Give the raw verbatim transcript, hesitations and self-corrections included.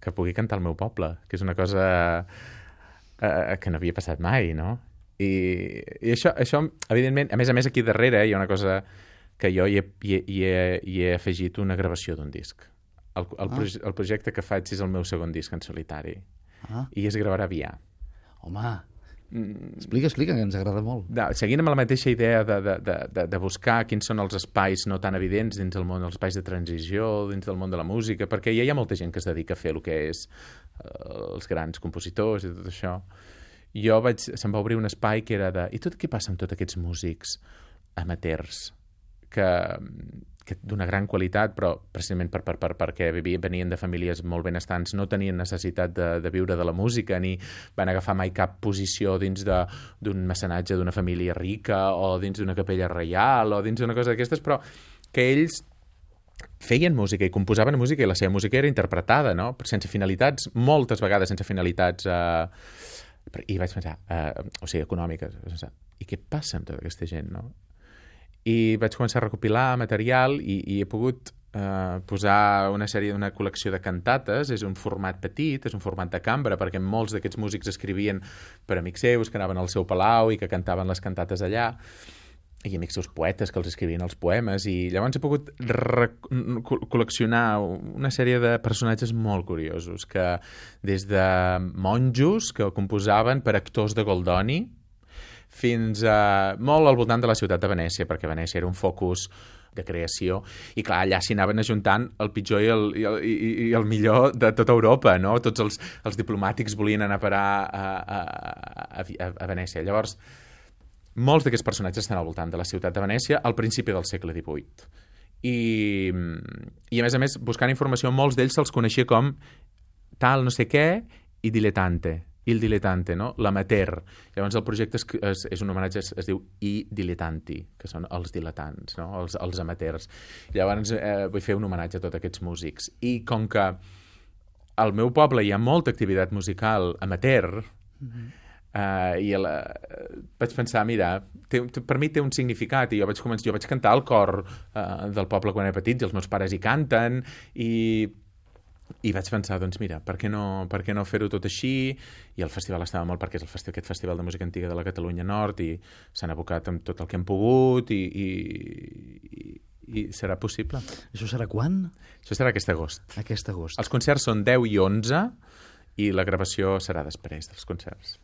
que pugui cantar al meu poble, que és una cosa eh, que no havia passat mai, no? I, i això, això, evidentment, a més a més aquí darrere hi ha una cosa que jo hi he, hi he, hi he, hi he afegit una gravació d'un disc. El, el, Ah. proje el projecte que faig és el meu segon disc en solitari Ah, i es gravarà via. home, explica, explica, que ens agrada molt. De, seguint amb la mateixa idea de, de, de, de, de buscar quins són els espais no tan evidents dins del món, els espais de transició, dins del món de la música, perquè ja hi ha molta gent que es dedica a fer el que és eh, els grans compositors i tot això. Jo vaig, se'm va obrir un espai que era de... I tot què passa amb tots aquests músics amateurs que, que d'una gran qualitat, però precisament per, per, per, perquè vivien, venien de famílies molt benestants, no tenien necessitat de, de viure de la música, ni van agafar mai cap posició dins d'un mecenatge d'una família rica o dins d'una capella reial o dins d'una cosa d'aquestes, però que ells feien música i composaven música i la seva música era interpretada, no? Sense finalitats, moltes vegades sense finalitats... Eh, i vaig pensar, eh, o sigui, econòmiques, pensar, i què passa amb tota aquesta gent, no? I vaig començar a recopilar material i, i he pogut eh, posar una sèrie d'una col·lecció de cantates. És un format petit, és un format de cambra, perquè molts d'aquests músics escrivien per amics seus que anaven al seu palau i que cantaven les cantates allà, i amics seus poetes que els escrivien els poemes, i llavors he pogut col·leccionar una sèrie de personatges molt curiosos, que des de monjos que composaven per actors de Goldoni fins a molt al voltant de la ciutat de Venècia, perquè Venècia era un focus de creació, i clar, allà s'hi anaven ajuntant el pitjor i el, i el, i, i el millor de tota Europa, no? Tots els, els diplomàtics volien anar a parar a, a, a, a Venècia. Llavors, molts d'aquests personatges estan al voltant de la ciutat de Venècia al principi del segle divuit. I, i a més a més, buscant informació, molts d'ells se'ls coneixia com tal no sé què i dilettante. Il dilettante, no? L'amateur. Llavors el projecte és, és, és un homenatge, es, es diu I dilettanti, que són els diletants, no? els, els amateurs. Llavors eh, vull fer un homenatge a tots aquests músics. I com que al meu poble hi ha molta activitat musical amateur, mm-hmm. Uh, i la, uh, vaig pensar, mira, té, per mi té un significat, i jo vaig, començar, jo vaig cantar al cor uh, del poble quan era petit, i els meus pares hi canten, i, i vaig pensar, doncs mira, per què no, per què no fer-ho tot així? I el festival estava molt, perquè és el festival, aquest festival de música antiga de la Catalunya Nord, i s'han abocat amb tot el que hem pogut, i, i, i, i serà possible. Això serà quan? Això serà aquest agost. Aquest agost. Els concerts són deu i onze, i la gravació serà després dels concerts.